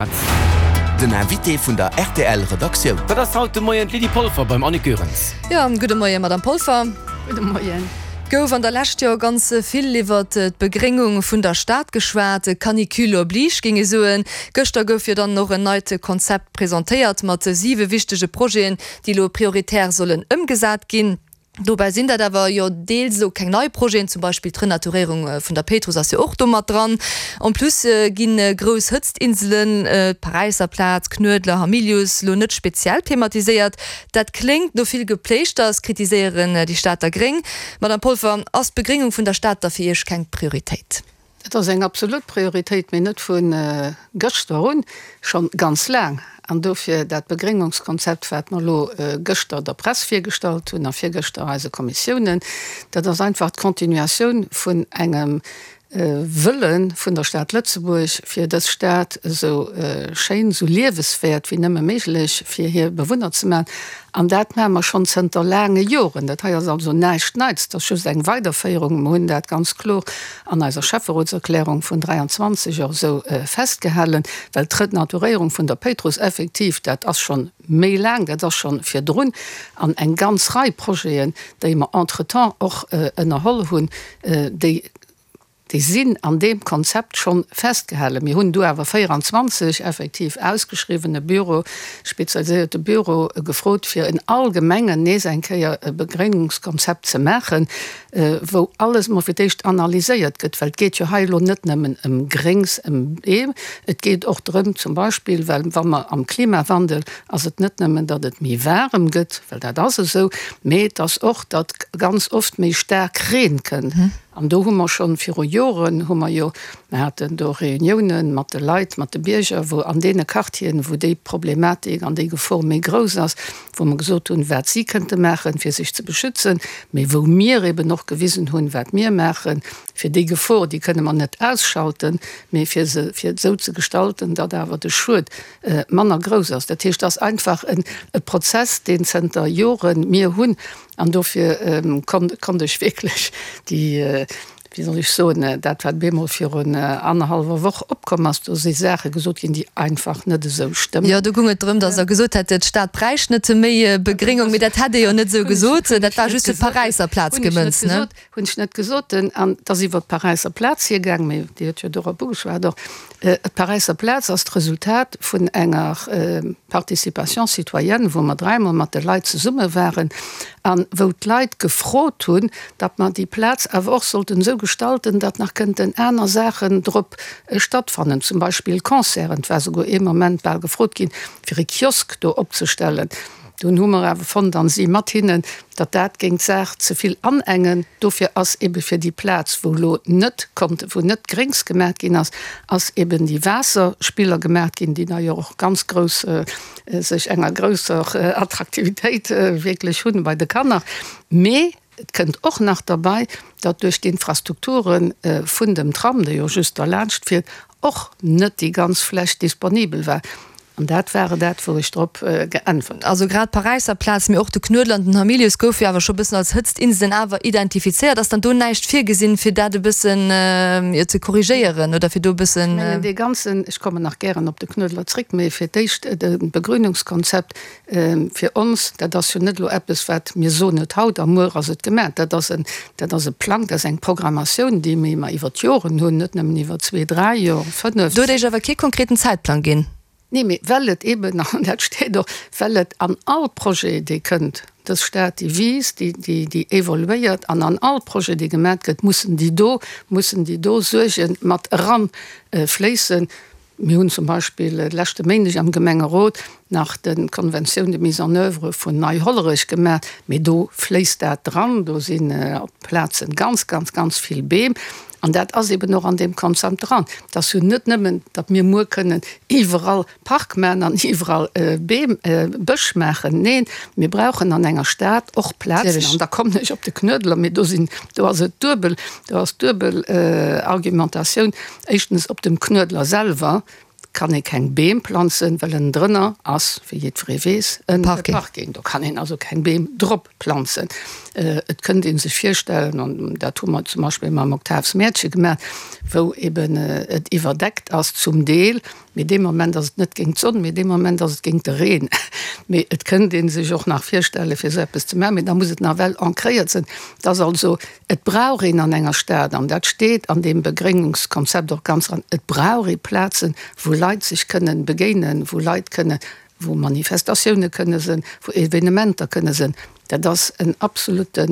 Den Invité vun der rtl Redaktioun. Dat ass haut de Moien d'Lydie Polfer beim Annick Goerens. Jo, gudde Moien, Madame Polfer. Gudde Moien. Gouf an der Lescht jo ganz vill iwwert d'Begréngung vun der Stad geschwat, Canicule oblige géing ee soen. Gëschter gouf jo dann och en neit Konzept presentéiert mat siwe wichtege Projeten, déi elo prioritär sollen ëmgesat ginn. Dobäi sinn dat awer jo deels elo keng nei Projeten, zum Beispill d'Renaturéierung vun der Péitruss ass jo och do mat dran. En plus gi grouss Hëtztinselen, d'Paräisser Plaz, Knuedler, Hamilius, elo net speziell thematiséiert. Dat kléngt no vill Gepléischters, kritiséieren déi Stater Gréng. Madame Polfer, ass d'Begréngung vun der Stad da fir Iech keng Prioritéit? Dat ass eng absolut Prioritéit, mee net vu gëschter un, scho ganz laang. An dofir dat Begréngungskonzept, wat mer elo gëschter der Press virgestallt hunn a virgëschter eise Kommissiounen, dat ass einfach d'Continuatioun vun engem Wëlle vun der Stad Lëtzebuerg, fir dës Stad esou schéin, esou lieweswäert wéi nëmme méiglech fir hir Bewunner ze maachen. An dat maache mer schonn zënter laange Joren. Dat hei ass also näischt Neits, dat ass just eng Weiderféierung. Mer hunn dat ganz kloer an eiser Schäfferotserklärung vun 23 och esou festgehalen, well d'Renaturéierung vun der Péitruss effektiv, dat ass schonn méi laang, dat ass schonn virdrun, an eng ganz Rei Projeten, déi mer entretemps och ënnerholl hunn, déi Déi sinn an deem Konzept schonn festgehalen. Mir hunn du awer 24 effektiv ausgeschriwwene Büro, spezialiséierte Büro gefrot, fir in all Gemengen nees eng Kéier e Begréngungskonzept ze maachen, wou alles emol fir d'éischt analyséiert gëtt. Well et geet jo hei elo net nëmmen ëm Gréngs, ëm Beem, et geet och drëm zum Beispill, well wa mer am Klimawandel ass et net nëmmen, datt et méi waarem gëtt, well dat ass esou, mee et ass och, datt ganz oft méi staark Reen kënnt. An do hu mer schonn viru Joren, hu mer jo, mer haten do Reuniounen mat de Leit, mat de Bierger, wou an deene Quartieren, wou déi Problematik an déi Gefor méi grouss ass, wou mer gesot hunn, wat si kënnte maachen, fir sech ze beschützen, mee wou mir eben och gewisen hunn, wat mir maachen, fir déi Gefor, déi kënne mer net ausschalten, mee fir se, fir et esou ze gestalten, datt awer de Schued manner grouss ass. Dat heescht, et ass einfach e Prozess, deen zënter Joren mir hunn. An dofir konnt ech wierklech déi, wéi soll ech soen, dat wat bemol virun annerhallwer Woch opkomm ass, do si Saache gesot ginn, déi einfach net esou stëmmen. Jo, do goung et drëm, datt Der gesot hätt, d'Stad bräicht net méi Begréngung, mee dat hätt Dir jo net esou gesot. Dat war just fir d'Paräisser Plaz gemënzt, ne? Hunn ech net gesot. An et ass iwwer d'Paräisser Plaz hiergaang, mee Dir hutt jo dorop ugeschwat och. D'Paräisser Plaz ass d'Resultat vun enger Participation citoyenne, wou mer dräimol mat de Leit zesumme waren a wou d'Leit gefrot hunn, datt mer déi Plaz awer och sollten esou gestalten, datt nach kënnten aner Saachen drop stattfannen, zum Beispill Concerten. Et war souguer ee Moment bal gefrot ginn, fir e Kiosk do opzestellen. Dunn hu mer awer fonnt, an si mat hinnen, datt dat géing d'Saach ze vill anengen. Dofir ass ebe fir déi Plaz, wou elo net konnt, wou net Gréngs gemaat ginn ass, ass eben déi Waasserspiller gemaat ginn, déi d'ailleurs och ganz grouss, sech enger grousser Attraktivitéit wierklech hunn bei de Kanner. Mee et kënnt och nach derbei, datt duerch d'Infrastrukture vun dem Tram, dee jo just derlaanscht fiert, och net déi ganz Fläch disponibel war. An dat ware dat, wou ech drop geäntwert hunn. Also grad d'Paräisser Plaz, mee och de Knuedler an den Hamilius goufe jo awer scho bëssen als Hëtztinselen awer identifizéiert. Ass dann do näischt virgesinn, fir dat e bëssen, jo, ze korrigéieren oder fir do e bëssen. Ech mengen, dee ganzen, ech kommen nach gären op de Knuedler zréck, mee fir d'éischt de Begrünungskonzept fir ons, dat ass jo net elo eppes, wat mir soen et haut a muer ass et gemaach. Dat ass en, dat ass e Plang, dat ass eng Programmatioun, déi mir iwwer d'Joren hunn, net nëmmen iwwer zwee, dräi Joer, fënnef. Do huet Iech awer kee konkreten Zäitplang ginn. Nee, mee well et eben, an dat steet och, well et an all Projet, dee kënnt, dës Stad, déi wiisst, déi, déi, déi evoluéiert, an an all Projet, dee gemat gëtt, mussen déi do, mussen déi do Suerge mat eranfléissen. Mir hunn zum Beispill de leschte Méindeg am Gemengerot nach d'Conventioun de mise en oeuvre vun Nei-Hollerech gemaach, mee do fléisst dat dran. Do sinn op Plazen ganz, ganz, ganz vill Beem. An dat ass eben och an deem Konzept dran. Et ass jo net nëmmen, datt mir muer kënnen iwwerall Park maachen an iwwerall Beem, Bësch maachen. Neen, mir brauchen an enger Stad och Plazen. An da kommen ech op de Knuedler, mee do sinn, do ass et duebel, do ass duebel Argumentatioun. Éischtens op dem Knuedler selwer. kann ee keng Beem planzen, well ënnendrënner ass, wéi jiddweree weess, e Parking. Do kann een also keng Beem drop planzen. Et kënnt ee sech virstellen, an dat hu mer zum Beispill mam Octaves Mäertche gemaach, wou eben et iwwerdeckt ass zum Deel, mee dee Moment ass et net géint d'Sonn, mee dee Moment ass et géint de Reen. Mee et kënnt ee sech och nach virstellen, fir esou eppes ze maachen, mee da muss et nawell ancréiert sinn. Et ass also, et brauch een an enger Stad, an dat steet an deem Begréngungskonzept och ganz dran, et brauch ee Plazen, wou Leit sech kënnen begéinen, wou Leit kënnen, wou Manifestatioune kënne sinn, wou Evenementer kënne sinn. Dat ass en absolute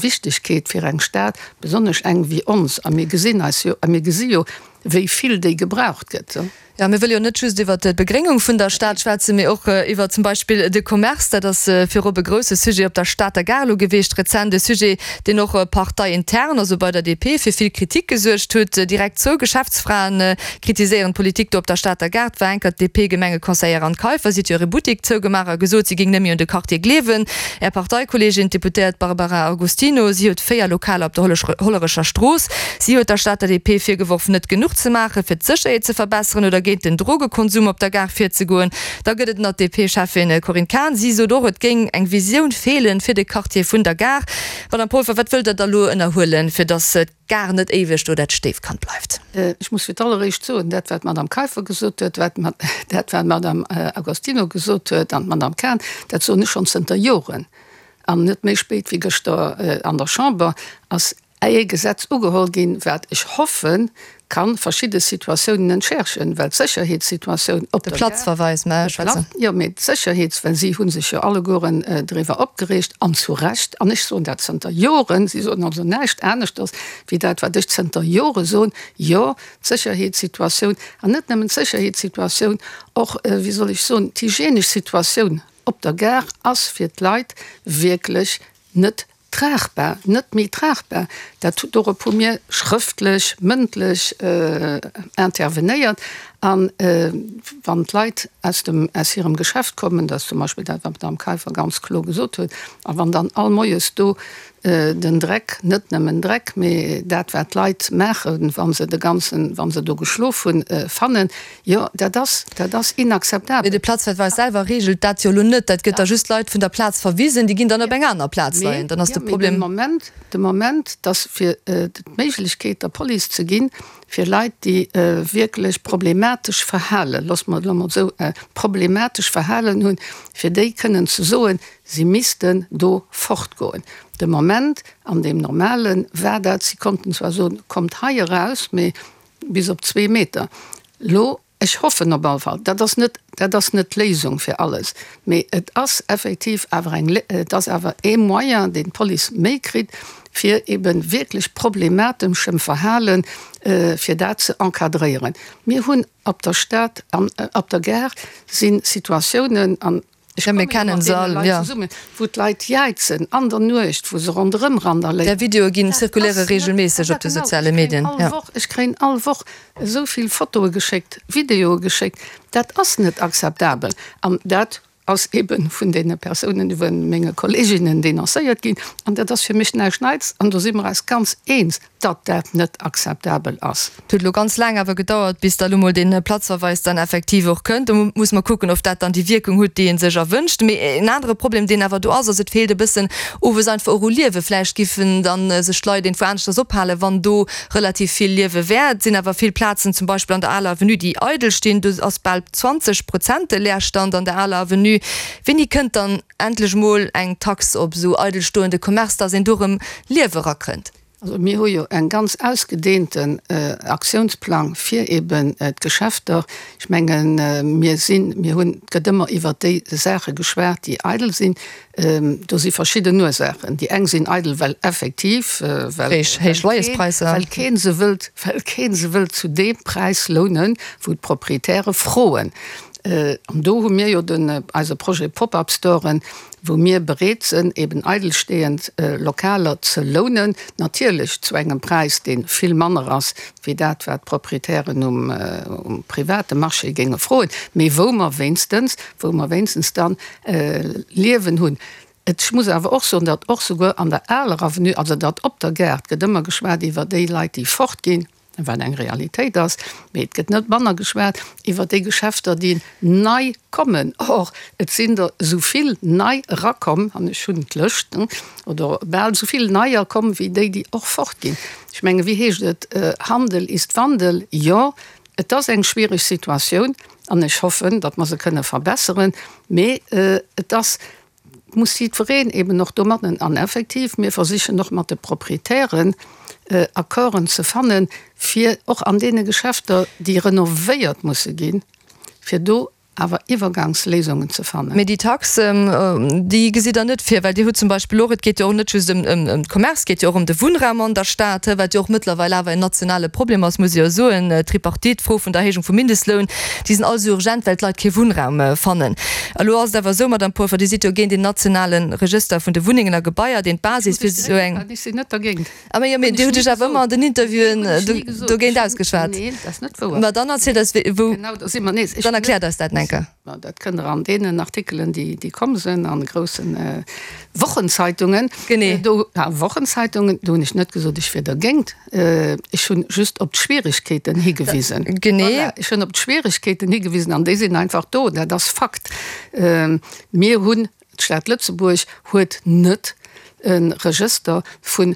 Wichtigkeet fir eng Stad, besonnesch eng wéi ons. A mir gesinn eis jo, a mir gesi jo, wéi vill déi gebraucht gëtt. Jo, mir wëlle jo net just iwwert d'Begréngung vun der Stad schwätzen, mee och iwwer zum Beispill de Commerce. Dat ass virop e grousse Sujet op der Stater Gare elo geweecht rezent. E Sujet, deen och parteiintern, also bei der DP, fir vill Kritik gesuergt huet. Direkt zwou Geschäftsfraen kritiséieren d'Politik do op der Stater Gare. Et war enker d'DP-Gemengeconseillère Anne Kaiffer, si huet jo hire Buttik zougemaach a gesot, si géing net méi un de Quartier gleewen. Är Parteikolleegin, d'Deputéiert Barbara Agostino, si huet 4 Lokaler op der Hollerecher Strooss. Si huet der Stater DP virgeworf, net genuch ze maachen, fir d'Sécherheet ze verbesseren oder géint den Drogekonsum op der Gare virzegoen. Da gëtt et nach d'DP-Cheffin Corinne Cahen. Si sot och, et géing eng Visioun feelen fir de Quartier vun der Gare. Madame Polfer, wat wëllt Der da lo ënnerhuelen, fir datt d'Gare net éiweg do dat Stéifkand bleift? Ech muss fir d'alleréischt soen, dat wat d'Madame Kaiffer gesot huet, dat wat d'Madame Agostino gesot huet an d'Madame Cahen, dat soen ech schonn zënter Joren an net méi spéit wéi gëschter an der Chamber, ass ee Gesetz ugeholl ginn, wat ech hoffen, ka verschidde Situatiounen entschärfen, well d'Sécherheetssituatioun op der Gare. De Platzverweis, mä ech schwätzen. Jo, mä d'Sécherheets-, well si hu sech jo allegueren driwwer opgereegt, an zu Recht, an ech soen dat zënter Joren, si soen also näischt aneschters wéi dat, wat ech zënter Jore soen, jo, d'Sécherheetssituatioun, an net nëmmen d'Sécherheetssituatioun, och, wéi soll ech soen, d'hygienesch Situatioun op der Gare ass fir d'Leit wierklech net Tragbar, net méi tragbar. Dat, dorop hu mir schrëftlech, mëndlech intervenéiert. A wann d'Leit aus dem, aus hirem Geschäft kommen, dat ass zum Beispill dat, wat d'Madame Kaiffer ganz kloer gesot huet, a wann dann all Moies do den Dreck, net nëmmen Dreck, mee dat, wat d'Leit maachen, wa se de ganzen, wa se do geschlof hunn, fannen, Jo, dat ass, dat ass inakzeptabel. Mee de Platzverweis selwer reegelt dat jo elo net. Dat gëtt da just Leit vun der Plaz verwisen, déi ginn dann op eng aner Plaz leien. Dann ass de Problem. Mee de Moment, de Moment, dass fir d'Méiglechkeet der Police ze ginn, fir Leit, déi wierklech problematesch Verhalen, loosse mer et elo mol esou, problematesch Verhalen hunn, fir déi kënnen ze soen, si missten do fortgoen. De Moment, an deem Normale war dat, si konnten zwar soen, kommt hei eraus, mee Bis op zwee Meter. Lo, ech hoffen op alle Fall, dat ass net, dat ass net d'Léisung fir alles, mee et ass effektiv awer eng, et ass awer ee Moyen, deen d'Police méi kritt, fir ebe wierklech problemateschem Verhalen, fir dat ze encadréieren. Mir hunn op der Stad an op der Gare si Situatiounen, an Ech komme jo mat deene Leit zesummen, wou d'Leit jäizen an der Nuecht, wou se ronderëm randaléieren. Där Videoe ginn zirkuléiere reegelméisseg op de soziale Medien. Ech kréien all Woch esou vill Fotoe geschéckt, Videoe geschéckt. Dat ass net akzeptabel. An dat ass ebe vun deene Persounen, vu menge Kolleeginnen denoncéiert ginn. An dat ass fir mech näischt Neits. An do si mer eis ganz eens. datt dat net akzeptabel ass. Et huet elo ganz laang awer gedauert, bis da lo mol dee Platzverweis dann effektiv och kënnt. Do muss mer kucken, ob dat dann déi Wierkung huet, déi ee sech erwënscht. Mee en anere Problem, deen awer do ass, ass, et feelt e bëssen owes einfach och u Liewen. Vläicht giffen dann sech d'Leit iergendwou aneschters ophalen, wann do relativ vill Liewe wär. Et sinn awer vill Plazen, zum Beispill an der Aler Avenue, déi eidel stinn. Do ass bal 20 Prozent de Leerstand an der Aler Avenue. Wéini kënnt dann endlech mol eng Tax op esou eidelstoende Commerce, dass een do erëm Liewe erakënnt? Also mir hu jo eng ganz ausgedehnten Aktiounsplang fir eben d'Geschäfter. Ech mengen, mir sinn, mir hunn, et gëtt ëmmer iwwert déi Saache geschwat, déi eidel sinn. Do si verschidden Ursaachen. Déi eng sinn eidel, well effektiv, well Héich Loyerspräisser. well kee se wëllt, well kee se wëllt zu deem Präis lounen, wou d'Proprietäre froen. An do hu mir jo den, eise Projet Pop-up-Storen, wou mir bereet sënn, eben eidelstehend Lokaler ze lounen, natierlech zu engem Präis, dee vill manner ass wéi dat, wat d'Proprietären um private Marché géinge froen, mee wou mer wéinstens, wou mer wéinstens dann Liewen hunn. Ech muss awer och soen, datt och souguer an der aler Avenue, also datt op der Gare, et gëtt ëmmer geschwat iwwer déi Leit, déi fortginn. wat eng Realitéit ass, mee et gëtt net manner geschwat iwwer déi Geschäfter, déi nei kommen. Or, et sinn der esou vill nei erakomm, an ech hunn d'Lëscht, oder bal esou vill neier komm wéi déi, déi och fortginn. Ech menge wéi heescht et, Handel ist Wandel. Jo, et ass eng schwiereg Situatioun an ech hoffen, datt mer se kënne verbesseren, mee et ass, muss jiddwereen eben och domatten an effektiv, mir versichen och mat de Proprietären Accorden ze fannen, fir och an deene Geschäfter, déi renovéiert musse ginn, fir do awer Iwwergangsléisungen ze fannen. Mee déi Tax, déi gesitt Der net vir, well Dir hutt zum Beispill och, et geet jo och net just ëm d'Commerce, et geet jo och ëm de Wunnraum an der Stad, wat jo och mëttlerweil awer en nationale Problem ass, muss ee jo soen, d'Tripartite, d'Fro vun der Erhéijung vum Mindestloun, déi sinn all esou urgent, well d'Leit kee Wunnraum fannen. Elo ass et awer esou, Madamm Polfer, Dir sidd jo géint een nationale Regëster vun de Wunnengen a Gebaier, deen d'Basis fir esou eng. Ech sinn net dergéint. Ah, mee jo, mee Dir hutt Iech awer ëmmer an den Interviewen dogéint ausgeschwat. Neen, dat ass net wouer. Ma dann erzielt eis, wou. Genau, do si mer nees. Dann erkläert eis dat eng Kéier. Ma dat kënnt Der an deenen Artikelen, déi, déi komm sinn an de groussen Wochenzeitungen. Genee. Do, a Wochenzeitungen, do hunn ech net gesot, ech wier dergéint. Ech hunn just op d'Schwierigkeeten higewisen. Genee. Voilà, ech hunn op d'Schwierigkeeten higewisen an déi sinn einfach do. Dat ass Fakt. Mir hunn, d'Stad Lëtzebuerg huet net e Regëster vun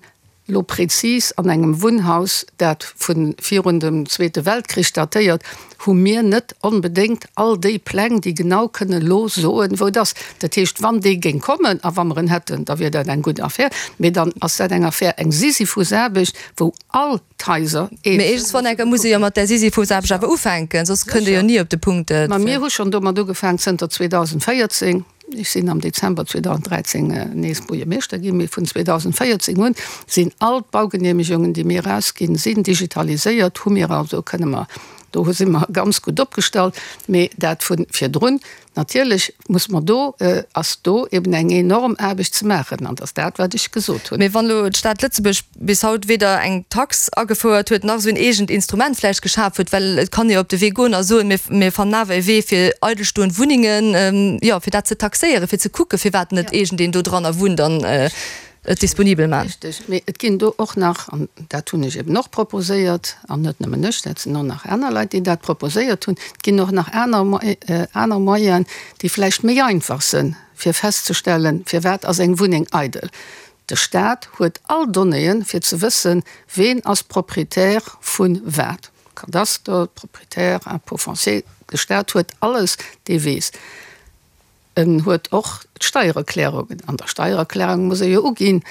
elo prezis an engem Wunnhaus, dat vu virun dem Zweete Weltkrich datéiert, hu mir net onbedéngt all déi Pläng, déi genau kënne elo soen, wou et ass. Dat heescht, wann dee géing kommen a wa mer en hätten, da wier dat eng gutt Affär. Mee dann ass dat eng Affär, eng Sisyphusaarbecht, wou all d'Haiser eenzel. Mee iergendwann enker muss ee jo mat där Sisyphusaarbecht awer ufänken, soss kënnt ee jo ni op de Punkt. Ma mir hu schonn domat ugefaangen zënter 2014. Ech sinn am Dezember 2013 nees Buergermeeschter ginn, mee vun 2014 un sinn all d'Baugenehmegungen, déi mir erausginn, sinn digitaliséiert, hu mir also, kënne mer, do si mer ganz gutt opgestallt. Mee dat vu virdrun, natierlech muss mer do, ass do eben eng enorm Aarbecht ze maachen an dat ass dat, wat ech gesot hunn. Mee wann elo d'Stad Lëtzebuerg bis haut weder eng Tax agefouert huet, nach esou en eegent Instrument vläicht geschaf huet, well et kann ee jo op de Wee goen a soen, mir, mir fannen awer e Wee fir eidelstoend Wunnengen, jo, fir dat ze taxéieren, fir ze kucken, firwat net iergendeen do dranner wunnt an et disponibel maachen. Richtig, mee et ginn do och nach, an dat hunn ech eben och proposéiert, an net nëmmen ech, dat sinn och nach aner Leit, déi dat proposéiert hunn, et ginn och nach aner, aner Moyenen, déi vläicht méi einfach sinn, fir festzestellen, firwat ass eng Wunneng eidel. De Staat huet all Donnéeën, fir ze wëssen, ween ass Proprietär vu wat. Kadaster, Proprietär, Impôt foncier, de Staat huet alles, dee weess. En huet och d'Steiererklärungen. An der Steiererklärung muss ee jo uginn,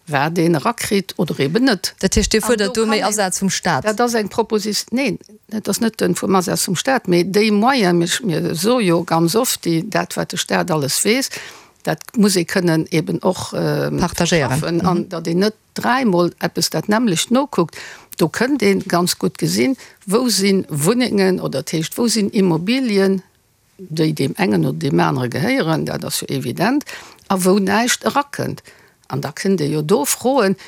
wat een erakritt oder eben net. Dat heescht, Dir fuerdert do méi Asaz vum Staat? Dat ass eng Proposi-, neen, dat ass net vum Asaz vum Staat, mee déi Moyen, mir soe jo ganz oft, déi, dat wat de Staat alles weess, Dat muss ee kënnen eben och verschaffen, an datt een net dräimol eppes dat nämmlecht nokuckt. Do kënnt ee ganz gutt gesinn, wou si Wunnengen oder dat heescht, wou sinn Immobilien, déi deem engen oder deem anere gehéieren, dat ass jo evident, a wou näischt erakënnt. An da kënnt ee jo do froen,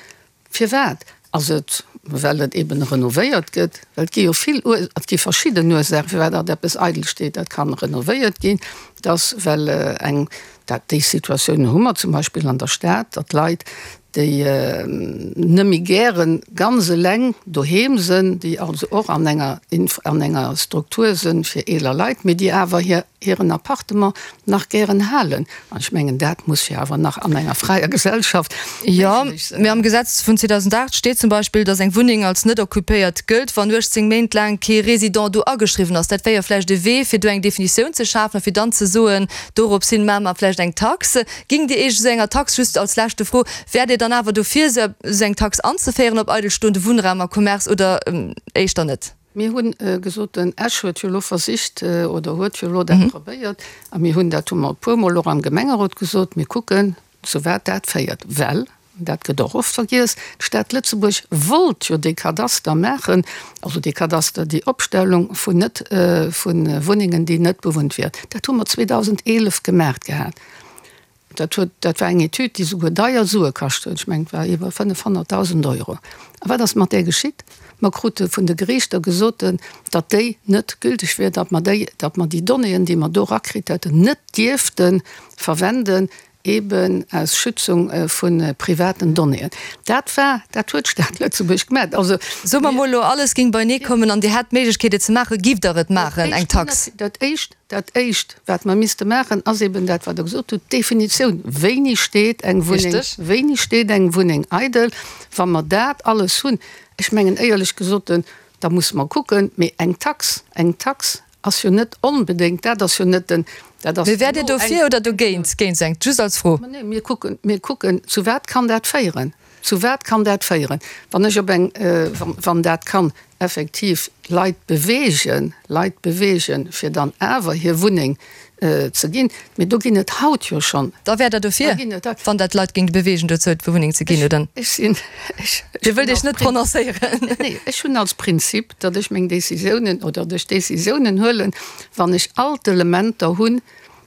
Firwat? Ass et, well et eben renovéiert gëtt? Well et gi jo vill Ur-, et gi verschidden Ursaachen, firwat datt eppes eidel steet. Dat kann renovéiert ginn, dass well eng, dat, déi Situatioun hu mer zum Beispill an der Stad, datt Leit, déi net méi gäre ganz eleng doheem sënn, déi also och an enger Inf-, an enger Struktur sënn fir eeler Leit, mee déi awer hir hiren Appartement nach gären halen. An ech mengen, dat muss jo awer nach an enger fräier Gesellschaft Jo, méiglech sinn. mee am Gesetz vun 2008 steet zum Beispill, datt eng Wunneng als net occupéiert gëllt, wann 18 Méint laang kee Résident do ageschriwwen ass. Dat wär jo vläicht e Wee, fir do eng Definitioun ze schafen a fir dann ze soen, dorops hin maache mer vläicht eng Tax. Géingt Dir Iech esou enger Tax, just als leschte Fro, wäert Dir dann awer dofir, esou eng Tax anzeféieren op eidelstoende Wunnraum a Commerce oder éischter net? Mir hunn gesot, den Esch huet jo elo versicht oder huet jo elo dat probéiert, a mir hunn, dat hu mer e puermol och am Gemengerot gesot, mir kucken, zu wat dat féiert, well, dat gëtt och oft vergiess, d'Stad Lëtzebuerg wollt jo dee Kadaster maachen, also dee Kadaster, déi Opstellung vun net, vu Wunnengen, déi net bewunnt wieren. Dat hu mer 2011 gemaacht gehat. Dat huet, dat war eng Etüd, déi souguer deier Sue kascht huet, ech mengen, et war iwwer 500.000 Euro. A wat ass mat där geschitt? Mer krute vun de Geriichter gesoten, datt déi net gülteg wier, datt mer déi, datt mer déi Donnéeën, déi mer do erakritt hätten, net dierfte verwenden. Eben aus Schützung vu privaten Donnéeën. Dat war, dat huet d'Stad Lëtzebuerg gemat. Also. Soe mer mol elo, alles géing beienee kommen an Dir hätt d'Méiglechkeet et ze maachen, giff Der et maachen, eng Tax? Dat éischt, dat éischt, wat mer misste maachen, ass eben dat, wat Der gesot hutt, d'Definitioun, Wéini steet eng Wunneng, wéini steet eng Wunneng eidel? Wa mer dat alles hunn, ech mengen éierlech gesot, da musse mer kucken, mee eng Tax, eng Tax Ass jo net onbedéngt, dat ass jo net den, dat ass Mee wäert Dir dofir oder dogéint géint seng? Just als Fro. Ma nee, mir kucken, mir kucken, zu wat kann dat féieren? Zu wat kann dat féieren? Wann ech op eng, wann dat kann effektiv Leit beweegen, Leit beweegen, fir dann awer hir Wunneng ze ginn, mee do ginn et haut jo schonn. Da wäert Der dofir, wann dat d'Leit géing beweegen dozou d'Wunneng ze ginn, oder? Ech sinn, ech. Dir wëllt Iech net prononcéieren? Nee, ech hunn als Prinzip, datt ech meng Décisiounen oder datt ech Décisiounen huelen, wann ech all d'Elementer hunn,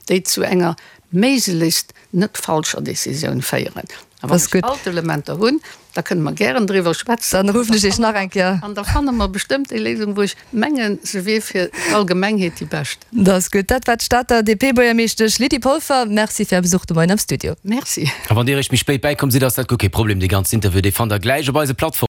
déi zu enger méiglechst net falscher Décisioun féieren. A wann ech all d'Elementer hunn, da kënne mer gären driwwer schwätzen. Dann ruffen ech Iech nach eng Kéier. An da fanne mer bestëmmt déi Léisung, wou ech mengen, se wier fir d'Allgemengheet déi bescht. Dat ass gutt. Dat war d'Stater DP-Buergermeeschtesch Lydie Polfer. Merci fir Är Besuch de Moien am Studio. Merci. A wann Dir eréischt méi spéit bäikomm sidd, ass dat guer kee Problem. Dee ganzen Interview, dee fannt Der gläich op eise Plattformen.